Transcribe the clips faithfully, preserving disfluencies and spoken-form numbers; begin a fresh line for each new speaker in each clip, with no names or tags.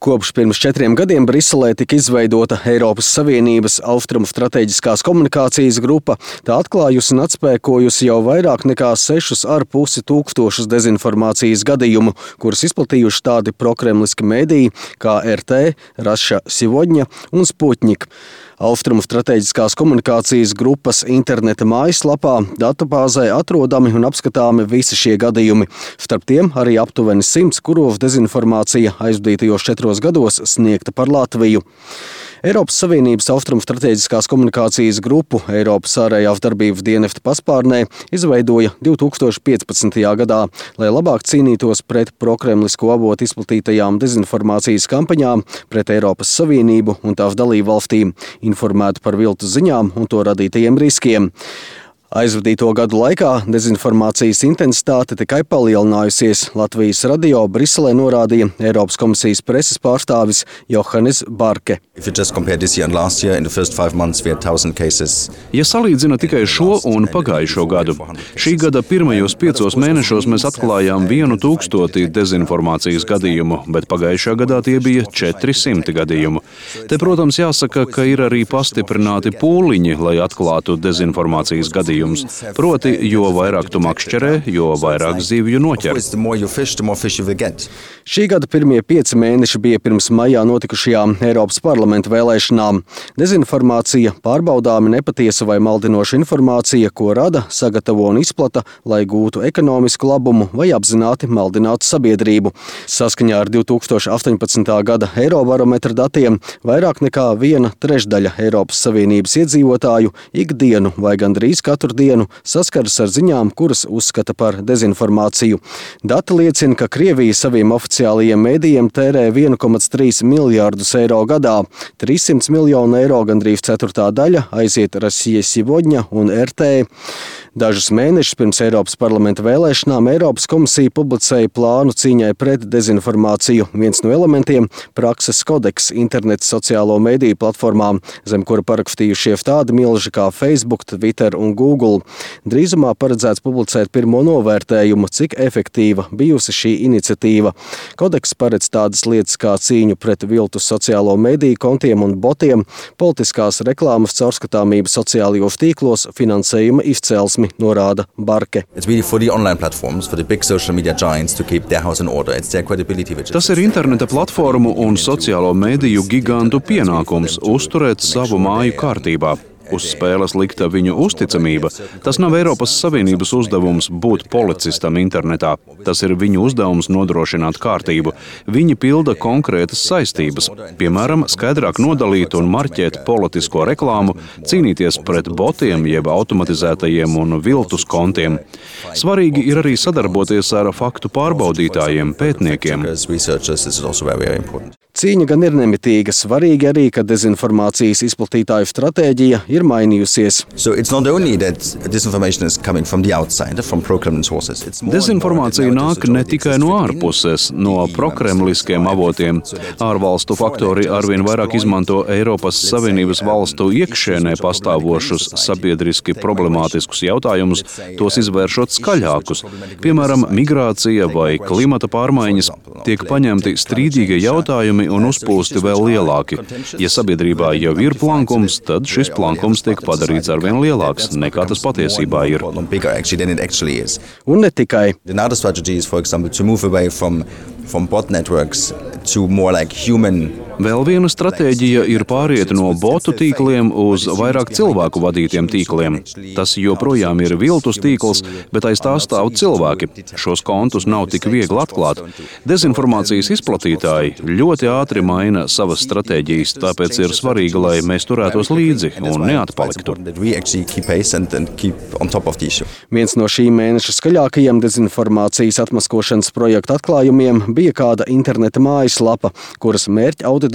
Kopš pirms četriem gadiem Briselē tika izveidota Eiropas Savienības Austrumu strateģiskās komunikācijas grupa. Tā atklājusi un atspēkojusi jau vairāk nekā sešus ar pusi tūkstošus dezinformācijas gadījumu, kurus izplatījuši tādi prokremliski mediji kā er te, Russia Сегодня un Sputnik. Austrumu strateģiskās komunikācijas grupas interneta mājaslapā datubāzē atrodami un apskatāmi visi šie gadījumi. Starp tiem arī aptuveni simts, kuros dezinformācija aizvadītajos četros gados sniegta par Latviju. Eiropas Savienības Austrumu strateģiskās komunikācijas grupu Eiropas ārējās darbības dienesta paspārnē izveidoja divi tūkstoši piecpadsmitajā gadā, lai labāk cīnītos pret prokremlisko avotu izplatītajām dezinformācijas kampaņām pret Eiropas Savienību un tās dalību valstīm, informētu par viltus ziņām un to radītajiem riskiem. Aizvadīto gadu laikā dezinformācijas intensitāte tikai palielinājusies. Latvijas radio Briselē norādīja Eiropas komisijas preses pārstāvis Johannes Barke.
Ja salīdzina tikai šo un pagājušo gadu, šī gada pirmajos piecos mēnešos mēs atklājām vienu tūkstoti dezinformācijas gadījumu, bet pagājušā gadā tie bija četri simti gadījumu. Te, protams, jāsaka, ka ir arī pastiprināti pūliņi, lai atklātu dezinformācijas gadījumu. Proti, jo vairāk tu makšķerē, jo vairāk zivju noķer.
Šī gada pirmie pieci mēneši bija pirms maijā notikušajām Eiropas parlamenta vēlēšanām. Dezinformācija, pārbaudāmi nepatiesa vai maldinoša informācija, ko rada, sagatavo un izplata, lai gūtu ekonomisku labumu vai apzināti maldinātu sabiedrību. Saskaņā ar divi tūkstoši astoņpadsmitā gada Eirobarometra datiem vairāk nekā viena trešdaļa Eiropas Savienības iedzīvotāju ikdienu vai gandrīz katru dienu saskaras ar ziņām, kuras uzskata par dezinformāciju. Dati liecina, ka Krievija saviem oficiālajiem mēdījiem tērē viens komats trīs miljārdus eiro gadā. trīs simti miljonu eiro, gandrīz ceturtā daļa, aiziet Russia Сегодня un er te. Dažus mēnešus pirms Eiropas parlamenta vēlēšanām Eiropas komisija publicēja plānu cīņai pret dezinformāciju. Viens no elementiem – prakses kodeks interneta sociālo mediju platformām, zem kura parakstījušies tādi milži kā Facebook, Twitter un Google. Drīzumā paredzēts publicēt pirmo novērtējumu, cik efektīva bijusi šī iniciatīva. Kodeks paredz tādas lietas kā cīņu pret viltus sociālo mediju kontiem un botiem, politiskās reklāmas caurskatāmību sociālajos tīklos, finansējuma izcelsmi, norāda Barke.
Tas ir interneta platformu un sociālo mediju gigantu pienākums uzturēt savu māju kārtībā. Uz spēles likta viņu uzticamība. Tas nav Eiropas Savienības uzdevums būt policistam internetā. Tas ir viņu uzdevums nodrošināt kārtību. Viņi pilda konkrētas saistības. Piemēram, skaidrāk nodalīt un marķēt politisko reklāmu, cīnīties pret botiem jeb automatizētajiem un viltus kontiem. Svarīgi ir arī sadarboties ar faktu pārbaudītājiem, pētniekiem.
Cīņa gan ir nemitīga. Svarīgi arī, ka dezinformācijas izplatītāju stratēģija ir mainījusies.
Dezinformācija nāk ne tikai no ārpuses, no prokremliskiem avotiem. Ārvalstu faktori arvien vairāk izmanto Eiropas Savienības valstu iekšienē pastāvošus sabiedriski problemātiskus jautājumus, tos izvēršot skaļākus. Piemēram, migrācija vai klimata pārmaiņas tiek paņemti strīdīgie jautājumi un uzpūsti vēl lielāki. Ja sabiedrībā jau ir plankums, tad šis plankums tiek padarīts arvien lielāks, nekā tas patiesībā ir.
Un ne tikai.
Vēl viena stratēģija ir pāriet no botu tīkliem uz vairāk cilvēku vadītiem tīkliem. Tas joprojām ir viltus tīkls, bet aiz tā stāv cilvēki. Šos kontus nav tik viegli atklāt. Dezinformācijas izplatītāji ļoti ātri maina savas stratēģijas, tāpēc ir svarīgi, lai mēs turētos līdzi un neatpaliktu.
Viens no šī mēneša skaļākajiem dezinformācijas atmaskošanas projekta atklājumiem bija kāda interneta mājaslapa, kuras mērķa auditorija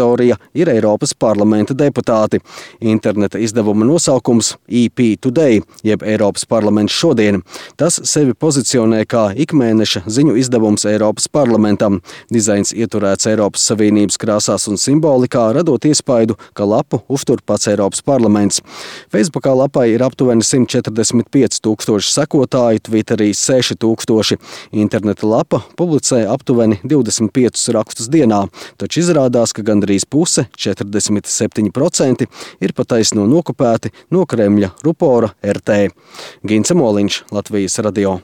ir Eiropas parlamenta deputāti. Interneta izdevuma nosaukums E P Today, jeb Eiropas parlaments šodien. Tas sevi pozicionē kā ikmēneša ziņu izdevums Eiropas parlamentam. Dizains ieturēts Eiropas Savienības krāsās un simbolikā, radot iespaidu, ka lapu uztur pats Eiropas parlaments. Facebookā lapai ir aptuveni simt četrdesmit pieci tūkstoši sekotāju, Twitterī seši tūkstoši. Interneta lapa publicē aptuveni divdesmit piecus rakstus dienā, taču izrādās, ka gandrīz puse, četrdesmit septiņi procenti, ir pataisno nokopēti no Kremļa rupora R T. Gints Moliņš, Latvijas radio.